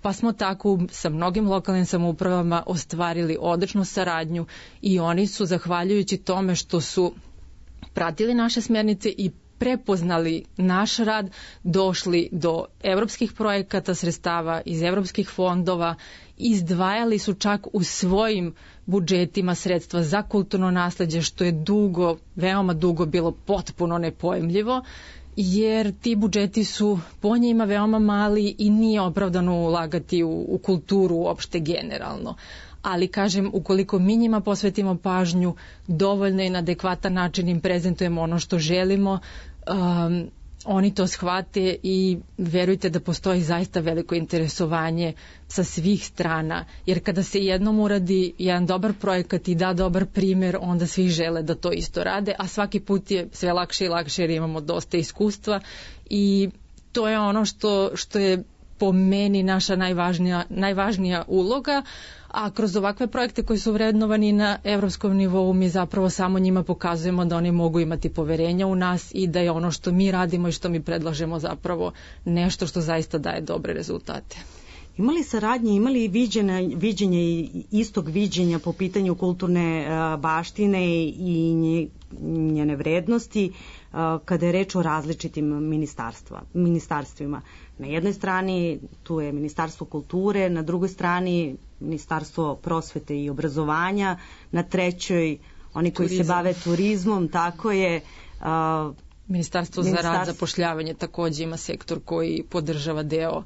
Pa smo tako sa mnogim lokalnim samoupravama ostvarili odličnu saradnju i oni su, zahvaljujući tome što su pratili naše smjernice i prepoznali naš rad, došli do evropskih projekata, sredstava iz evropskih fondova, izdvajali su čak u svojim budžetima sredstva za kulturno nasleđe, što je dugo, veoma dugo bilo potpuno nepojmljivo, jer ti budžeti su po njima veoma mali i nije opravdano ulagati u, u kulturu uopšte generalno. Ali, kažem, ukoliko mi njima posvetimo pažnju, dovoljno i na adekvatan način im prezentujemo ono što želimo, um, oni to shvate i verujte da postoji zaista veliko interesovanje sa svih strana, jer kada se jednom uradi jedan dobar projekat i da dobar primer, onda svi žele da to isto rade, a svaki put je sve lakše i lakše jer imamo dosta iskustva i to je ono što, što je po meni naša najvažnija, najvažnija uloga, a kroz ovakve projekte koji su vrednovani na evropskom nivou mi zapravo samo njima pokazujemo da oni mogu imati poverenja u nas i da je ono što mi radimo i što mi predlažemo zapravo nešto što zaista daje dobre rezultate. Imali saradnje, imali viđenje, viđenje i istog viđenja po pitanju kulturne uh, baštine i nje, njene vrednosti uh, kada je reč o različitim ministarstva, ministarstvima. Na jednoj strani tu je Ministarstvo kulture, na drugoj strani Ministarstvo prosvete i obrazovanja, na trećoj oni koji Turizam. se bave turizmom, tako je. Uh, Ministarstvo za rad, zapošljavanje takođe ima sektor koji podržava deo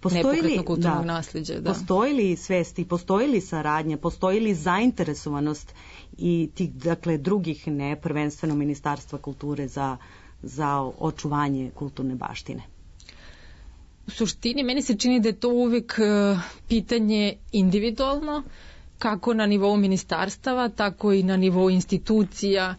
nepokretno kulturnog da, nasleđa. Da. Postoji li svest i postoji li saradnja, postoji li zainteresovanost i tih, dakle, drugih, ne prvenstveno Ministarstva kulture za, za očuvanje kulturne baštine? U suštini, meni se čini da je to uvek uh, pitanje individualno, kako na nivou ministarstava, tako i na nivou institucija.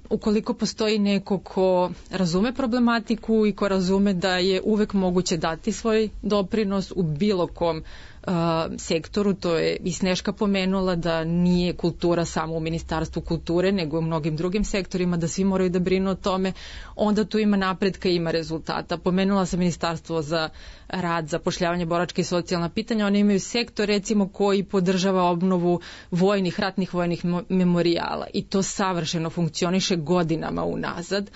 ukoliko postoji neko ko razume problematiku i ko razume da je uvek moguće dati svoj doprinos u bilo kom Uh, sektoru, to je i Sneška pomenula da nije kultura samo u Ministarstvu kulture, nego u mnogim drugim sektorima, da svi moraju da brinu o tome, onda tu ima napretka i ima rezultata. Pomenula sam Ministarstvo za rad, zapošljavanje, boračka i socijalna pitanja, oni imaju sektor recimo koji podržava obnovu vojnih, ratnih vojnih memorijala i to savršeno funkcioniše godinama unazad.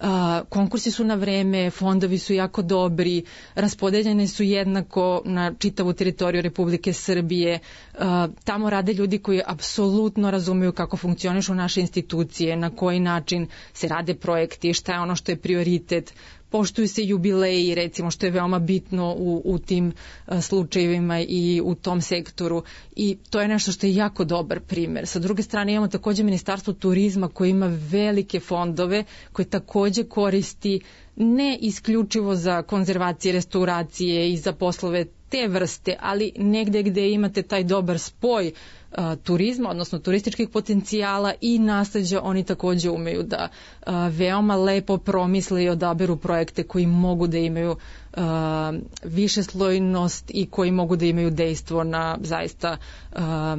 Uh, konkursi su na vreme, fondovi su jako dobri, raspodeljene su jednako na čitavu teritoriju Republike Srbije. Uh, tamo rade ljudi koji apsolutno razumeju kako funkcionišu naše institucije, na koji način se rade projekti, šta je ono što je prioritet. Poštuju se jubileji, recimo, što je veoma bitno u, u tim a, slučajevima i u tom sektoru i to je nešto što je jako dobar primer. Sa druge strane imamo takođe Ministarstvo turizma koje ima velike fondove koje takođe koristi ne isključivo za konzervacije, restauracije i za poslove te vrste, ali negde gde imate taj dobar spoj a, turizma, odnosno turističkih potencijala i nasleđa, oni takođe umeju da a, veoma lepo promisle i odaberu projekte koji mogu da imaju a, višeslojnost i koji mogu da imaju dejstvo na zaista a,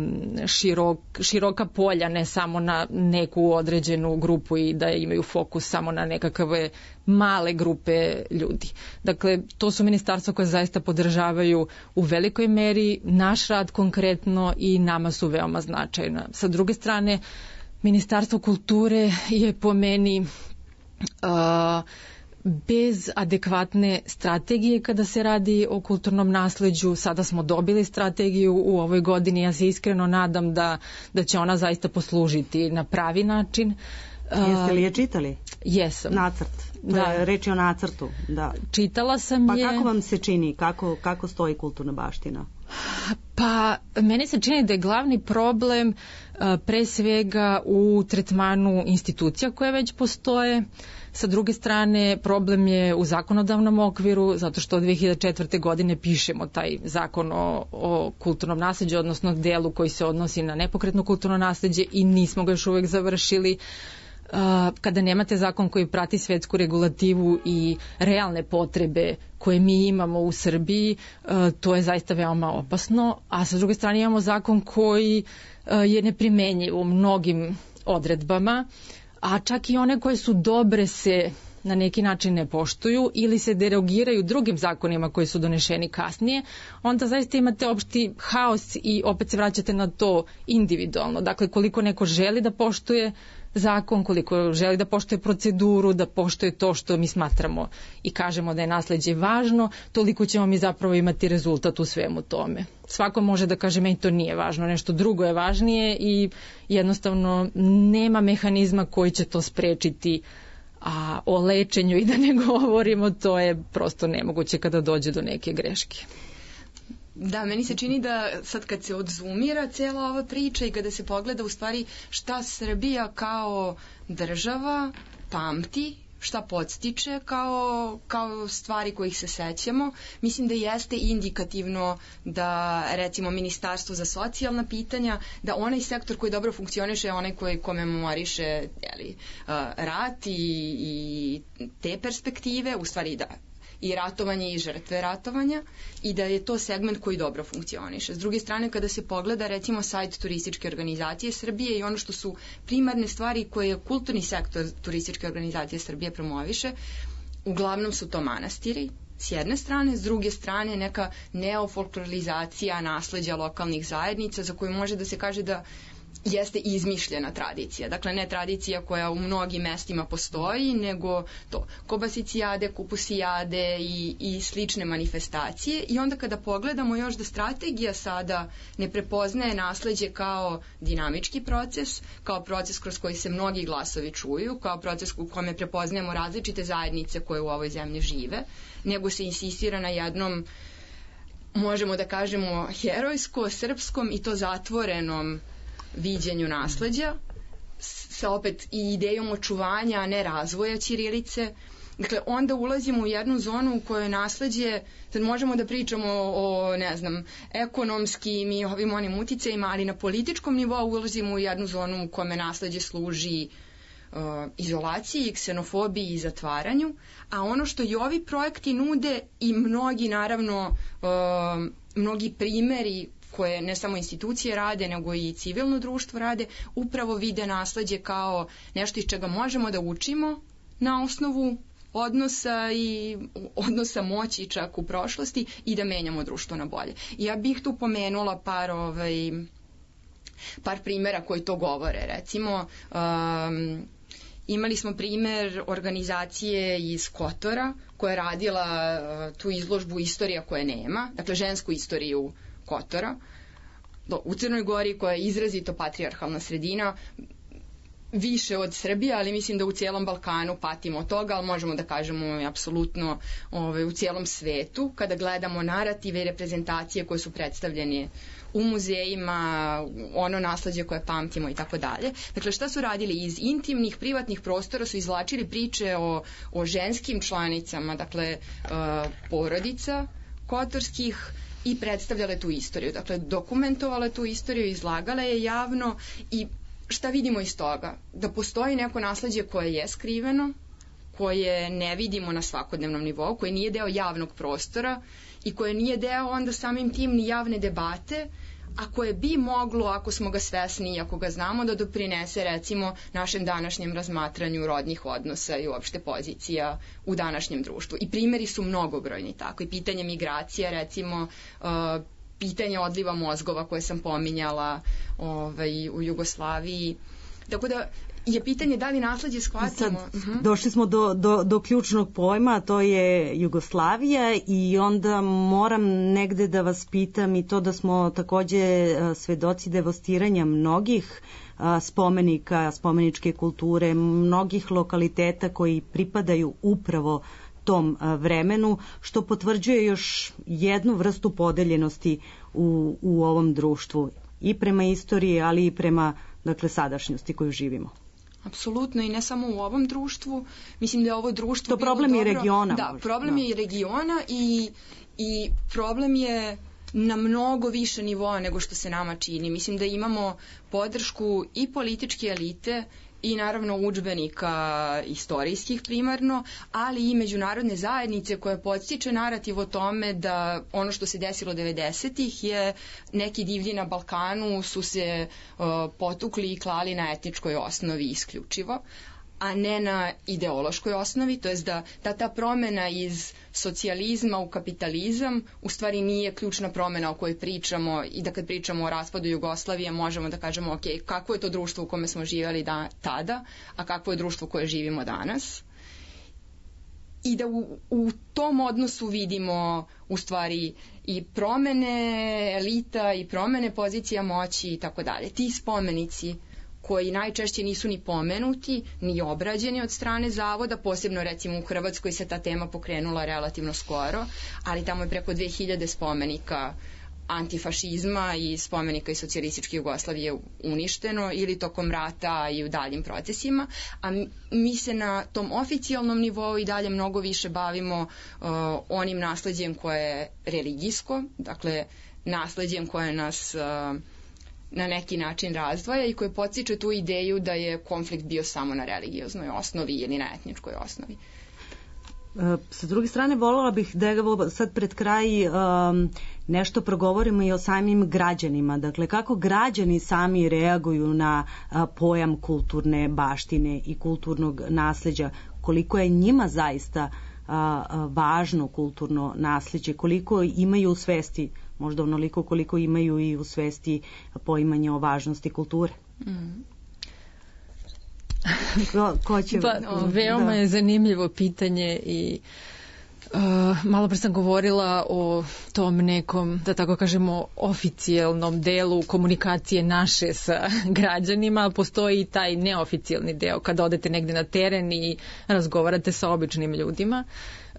širok, široka polja, ne samo na neku određenu grupu i da imaju fokus samo na nekakve male grupe ljudi. Dakle, to su ministarstva koje zaista podržavaju u velikoj meri naš rad konkretno i nama su veoma značajna. Sa druge strane, Ministarstvo kulture je po meni uh, bez adekvatne strategije kada se radi o kulturnom nasleđu. Sada smo dobili strategiju u ovoj godini. Ja se iskreno nadam da, da će ona zaista poslužiti na pravi način. Jeste li je čitali? Jesam. Nacrt. Da. Reč je o nacrtu. Da. Čitala sam pa je. Pa kako vam se čini? Kako, kako stoji kulturna baština? Pa meni se čini da je glavni problem uh, pre svega u tretmanu institucija koje već postoje. Sa druge strane, problem je u zakonodavnom okviru, zato što od dve hiljade četvrte. godine pišemo taj zakon o, o kulturnom nasleđu, odnosno delu koji se odnosi na nepokretno kulturno nasleđe i nismo ga još uvek završili. Uh, kada nemate zakon koji prati svetsku regulativu i realne potrebe koje mi imamo u Srbiji, uh, to je zaista veoma opasno, a sa druge strane imamo zakon koji uh, je neprimenjiv u mnogim odredbama, a čak i one koje su dobre se na neki način ne poštuju ili se derogiraju drugim zakonima koji su donešeni kasnije, onda zaista imate opšti haos i opet se vraćate na to individualno. Dakle, koliko neko želi da poštuje zakon, koliko želi da poštuje proceduru, da poštuje to što mi smatramo i kažemo da je nasleđe važno, toliko ćemo mi zapravo imati rezultat u svemu tome. Svako može da kaže meni to nije važno, nešto drugo je važnije i jednostavno nema mehanizma koji će to sprečiti, a o lečenju i da ne govorimo, to je prosto nemoguće kada dođe do neke greške. Da, meni se čini da sad kad se odzumira cijela ova priča i kada se pogleda u stvari šta Srbija kao država pamti, šta podstiče kao, kao stvari kojih se sećamo, mislim da jeste indikativno da recimo Ministarstvo za socijalna pitanja, da onaj sektor koji dobro funkcioniše je onaj koji komemoriše jeli, rat i, i te perspektive, u stvari da i ratovanje i žrtve ratovanja i da je to segment koji dobro funkcioniše. S druge strane, kada se pogleda recimo sajt turističke organizacije Srbije i ono što su primarne stvari koje kulturni sektor turističke organizacije Srbije promoviše, uglavnom su to manastiri, s jedne strane, s druge strane neka neofolklorizacija nasleđa lokalnih zajednica za koju može da se kaže da jeste izmišljena tradicija. Dakle, ne tradicija koja u mnogim mestima postoji, nego to kobasicijade, kupusijade i, i slične manifestacije. I onda kada pogledamo još da strategija sada ne prepoznaje nasleđe kao dinamički proces, kao proces kroz koji se mnogi glasovi čuju, kao proces u kome prepoznajemo različite zajednice koje u ovoj zemlji žive, nego se insistira na jednom, možemo da kažemo, herojsko, srpskom i to zatvorenom viđenju nasleđa sa opet i idejom očuvanja, a ne razvoja ćirilice. Dakle, onda ulazimo u jednu zonu u kojoj nasleđe, sad možemo da pričamo o, ne znam, ekonomskim i ovim onim uticajima, ali na političkom nivou ulazimo u jednu zonu u kome nasleđe služi izolaciji, ksenofobiji i zatvaranju, a ono što i ovi projekti nude i mnogi naravno uh, mnogi primeri koje ne samo institucije rade, nego i civilno društvo rade, upravo vide nasleđe kao nešto iz čega možemo da učimo na osnovu odnosa i odnosa moći čak u prošlosti i da menjamo društvo na bolje. I ja bih tu pomenula par ovaj, par primjera koji to govore. Recimo, um, imali smo primjer organizacije iz Kotora koja je radila uh, tu izložbu Istorija koje nema, dakle žensku istoriju Kotora, do, u Crnoj Gori koja je izrazito patrijarhalna sredina, više od Srbije, ali mislim da u cijelom Balkanu patimo od toga, ali možemo da kažemo apsolutno ovaj, u cijelom svetu, kada gledamo narative i reprezentacije koje su predstavljene u muzejima, ono nasleđe koje pamtimo i tako dalje. Dakle, šta su radili? Iz intimnih, privatnih prostora su izvlačili priče o, o ženskim članicama, dakle, uh, porodica kotorskih, i predstavljale tu istoriju. Dakle, dokumentovale tu istoriju, izlagale je javno i šta vidimo iz toga? Da postoji neko nasleđe koje je skriveno, koje ne vidimo na svakodnevnom nivou, koje nije deo javnog prostora i koje nije deo onda samim tim ni javne debate, a koje bi moglo, ako smo ga svesni i ako ga znamo, da doprinese recimo našem današnjem razmatranju rodnih odnosa i uopšte pozicija u današnjem društvu. I primjeri su mnogobrojni tako. I pitanje migracija, recimo, uh, pitanje odliva mozgova koje sam pominjala ovaj, u Jugoslaviji. Tako da je pitanje da li nasleđe shvatimo. Sad, uh-huh. Došli smo do, do, do ključnog pojma, a to je Jugoslavija, i onda moram negde da vas pitam i to da smo takođe svedoci devastiranja mnogih spomenika, spomeničke kulture, mnogih lokaliteta koji pripadaju upravo tom vremenu, što potvrđuje još jednu vrstu podeljenosti u, u ovom društvu i prema istoriji, ali i prema, dakle, sadašnjosti koju živimo. Apsolutno, i ne samo u ovom društvu. Mislim da je ovo društvo... To problem je regiona. Da, problem je i regiona i, i problem je na mnogo više nivoa nego što se nama čini. Mislim da imamo podršku i političke elite i naravno udžbenika istorijskih primarno, ali i međunarodne zajednice koje podstiče narativ o tome da ono što se desilo devedesetih je neki divlji na Balkanu su se uh, potukli i klali na etničkoj osnovi isključivo, a ne na ideološkoj osnovi, to jest da ta, ta promena iz socijalizma u kapitalizam u stvari nije ključna promena o kojoj pričamo, i da kad pričamo o raspadu Jugoslavije možemo da kažemo ok, kako je to društvo u kome smo živjeli da, tada, a kako je društvo koje živimo danas. I da u, u tom odnosu vidimo u stvari i promene elita i promene pozicija moći i tako dalje. Ti spomenici koji najčešće nisu ni pomenuti, ni obrađeni od strane zavoda, posebno recimo u Hrvatskoj se ta tema pokrenula relativno skoro, ali tamo je preko dve hiljade spomenika antifašizma i spomenika iz socijalističke Jugoslavije uništeno ili tokom rata i u daljim procesima, a mi se na tom oficijalnom nivou i dalje mnogo više bavimo uh, onim nasleđem koje je religijsko, dakle nasleđem koje nas uh, na neki način razdvaja i koje podstiče tu ideju da je konflikt bio samo na religioznoj osnovi ili na etničkoj osnovi. Sa druge strane, voljela bih da evo sad pred kraj um, nešto progovorimo i o samim građanima. Dakle, kako građani sami reaguju na uh, pojam kulturne baštine i kulturnog nasleđa, koliko je njima zaista uh, važno kulturno nasleđe, koliko imaju u svesti, možda onoliko koliko imaju i u svesti poimanje o važnosti kulture. Mm. Ko, ko će... Pa, veoma da. je zanimljivo pitanje i uh, malo pre sam govorila o tom nekom, da tako kažemo, oficijalnom delu komunikacije naše sa građanima. Postoji i taj neoficijalni deo kada odete negde na teren i razgovarate sa običnim ljudima.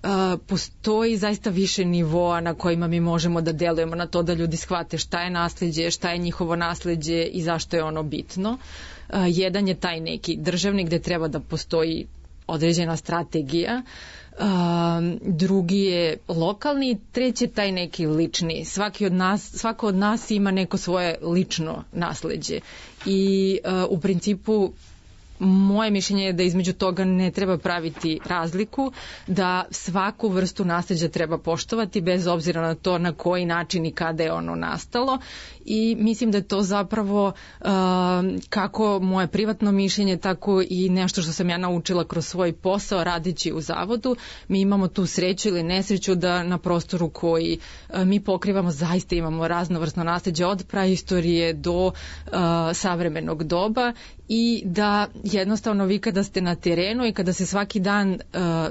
Uh, postoji zaista više nivoa na kojima mi možemo da delujemo na to da ljudi shvate šta je nasleđe, šta je njihovo nasleđe i zašto je ono bitno. Uh, jedan je taj neki državni gde treba da postoji određena strategija, uh, drugi je lokalni, treći je taj neki lični. Svaki od nas, svako od nas ima neko svoje lično nasleđe i uh, u principu moje mišljenje je da između toga ne treba praviti razliku, da svaku vrstu nasleđa treba poštovati bez obzira na to na koji način i kada je ono nastalo, i mislim da je to zapravo uh, kako moje privatno mišljenje, tako i nešto što sam ja naučila kroz svoj posao radići u zavodu. Mi imamo tu sreću ili nesreću da na prostoru koji uh, mi pokrivamo zaista imamo raznovrsno nasleđe od praistorije do uh, savremenog doba, i da jednostavno vi kada ste na terenu i kada se svaki dan uh,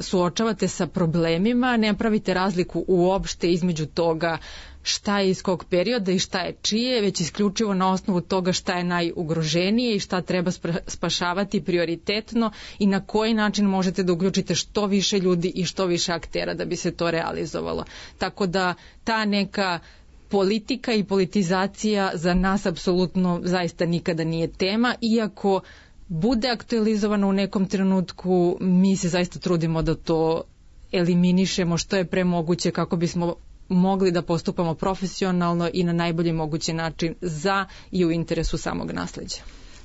suočavate sa problemima, ne pravite razliku uopšte između toga šta je iz kog perioda i šta je čije, već isključivo na osnovu toga šta je najugroženije i šta treba spašavati prioritetno i na koji način možete da uključite što više ljudi i što više aktera da bi se to realizovalo. Tako da ta neka politika i politizacija za nas apsolutno zaista nikada nije tema, iako bude aktualizovano u nekom trenutku, mi se zaista trudimo da to eliminišemo što je pre moguće kako bismo mogli da postupamo profesionalno i na najbolji mogući način za i u interesu samog nasleđa.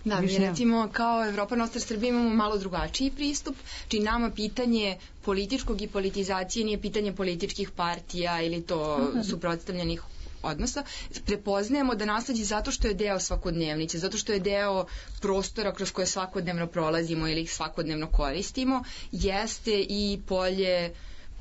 Da, mi recimo kao Evropa Nostra Srbija imamo malo drugačiji pristup, či nama pitanje političkog i politizacije nije pitanje političkih partija ili to suprotstavljenih odnosa. Prepoznajemo da nasleđe zato što je deo svakodnevnice, zato što je deo prostora kroz koje svakodnevno prolazimo ili ih svakodnevno koristimo, jeste i polje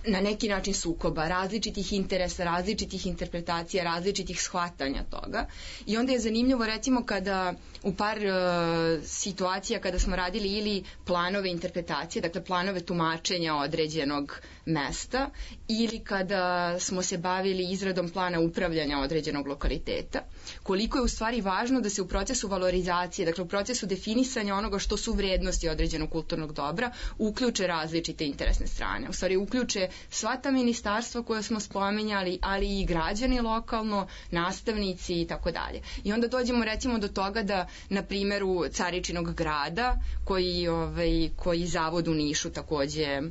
na neki način sukoba, različitih interesa, različitih interpretacija, različitih shvatanja toga. I onda je zanimljivo recimo kada u par uh, situacija kada smo radili ili planove interpretacije, dakle planove tumačenja određenog mesta, ili kada smo se bavili izradom plana upravljanja određenog lokaliteta, koliko je u stvari važno da se u procesu valorizacije, dakle u procesu definisanja onoga što su vrednosti određenog kulturnog dobra, uključe različite interesne strane. U stvari uključe sva ta ministarstva koja smo spominjali, ali i građani lokalno, nastavnici i tako dalje. I onda dođemo recimo do toga da na primjeru Caričinog grada, koji, ovaj, koji zavod u Nišu takođe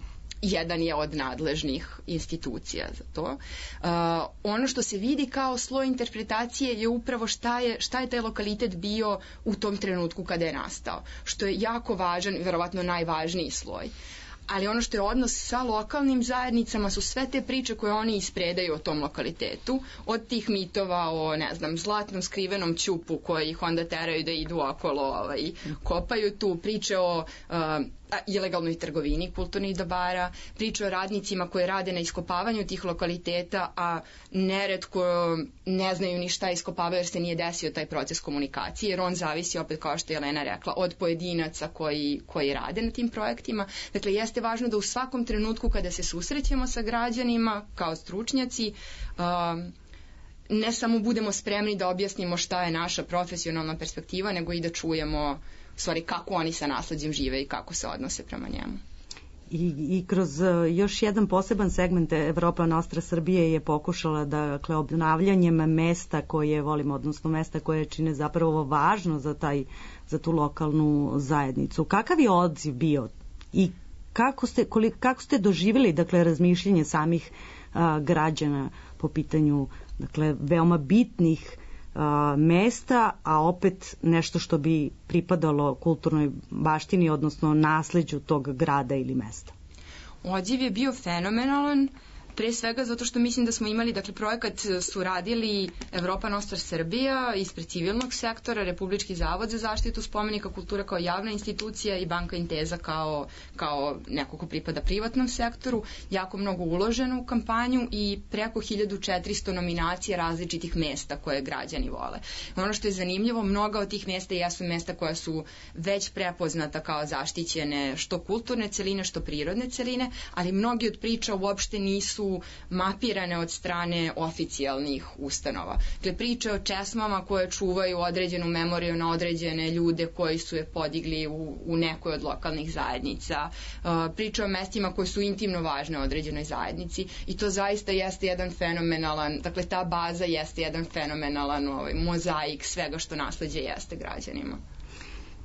jedan je od nadležnih institucija za to. Uh, ono što se vidi kao sloj interpretacije je upravo šta je, šta je taj lokalitet bio u tom trenutku kada je nastao, što je jako važan, verovatno najvažniji sloj. Ali ono što je odnos sa lokalnim zajednicama su sve te priče koje oni ispredaju o tom lokalitetu, od tih mitova o, ne znam, zlatnom skrivenom ćupu koji ih onda teraju da idu okolo, ovaj, kopaju tu, priče o uh, ilegalnoj trgovini kulturnih dobara, priče o radnicima koji rade na iskopavanju tih lokaliteta, a neretko ne znaju ni šta iskopavaju jer se nije desio taj proces komunikacije, jer on zavisi, opet kao što je Jelena rekla, od pojedinaca koji, koji rade na tim projektima. Dakle, jeste važno da u svakom trenutku kada se susrećemo sa građanima kao stručnjaci, um, ne samo budemo spremni da objasnimo šta je naša profesionalna perspektiva, nego i da čujemo u stvari kako oni sa nasleđem žive i kako se odnose prema njemu. I, i kroz još jedan poseban segment Evropa Nostra Srbije je pokušala da, dakle, obnavljanjem mesta koje volimo, odnosno mesta koje čine zapravo važno za, taj, za tu lokalnu zajednicu. Kakav je odziv bio i kako ste, koliko, kako ste doživjeli, dakle, razmišljanje samih a, građana po pitanju, dakle, veoma bitnih a, mesta, a opet nešto što bi pripadalo kulturnoj baštini, odnosno nasleđu tog grada ili mesta? Odziv je bio fenomenalan, pre svega zato što mislim da smo imali, dakle, projekat su radili Evropa Nostra Srbija ispred civilnog sektora, Republički zavod za zaštitu spomenika kulture kao javna institucija i Banka Inteza kao, kao neko ko pripada privatnom sektoru, jako mnogo uloženo u kampanju i preko hiljadu četiristo nominacija različitih mesta koje građani vole. Ono što je zanimljivo, mnoga od tih mesta jesu mesta koja su već prepoznata kao zaštićene što kulturne celine, što prirodne celine, ali mnogi od priča uopšte nisu mapirane od strane oficijalnih ustanova. Dakle, priče o česmama koje čuvaju određenu memoriju na određene ljude koji su je podigli u, u nekoj od lokalnih zajednica, uh, priče o mestima koje su intimno važne određenoj zajednici i to zaista jeste jedan fenomenalan, dakle ta baza jeste jedan fenomenalan ovaj, mozaik svega što nasleđe jeste građanima.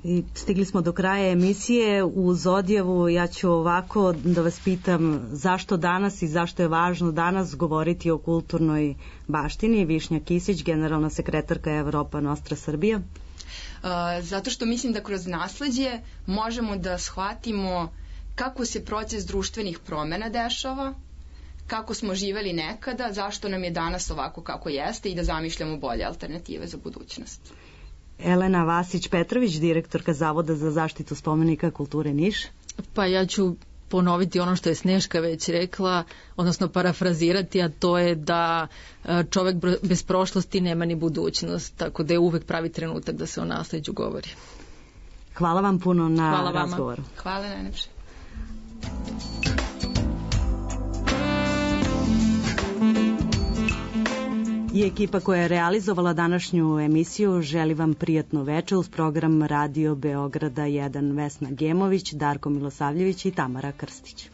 I stigli smo do kraja emisije. Uz odjavu ja ću ovako da vas pitam zašto danas i zašto je važno danas govoriti o kulturnoj baštini. Višnja Kisić, generalna sekretarka Evropa Nostra Srbija. zato što mislim da kroz nasleđe možemo da shvatimo kako se proces društvenih promena dešava, kako smo živeli nekada, zašto nam je danas ovako kako jeste i da zamišljamo bolje alternative za budućnost. Elena Vasić-Petrović, direktorka Zavoda za zaštitu spomenika kulture Niš. Pa ja ću ponoviti ono što je Sneška već rekla, odnosno parafrazirati, a to je da čovek bez prošlosti nema ni budućnost, tako da je uvek pravi trenutak da se o nasleđu govori. Hvala vam puno na Hvala razgovoru. Hvala najlepše. I ekipa koja je realizovala današnju emisiju želi vam prijatno veče uz program Radio Beograda jedan, Vesna Gemović, Darko Milosavljević i Tamara Krstić.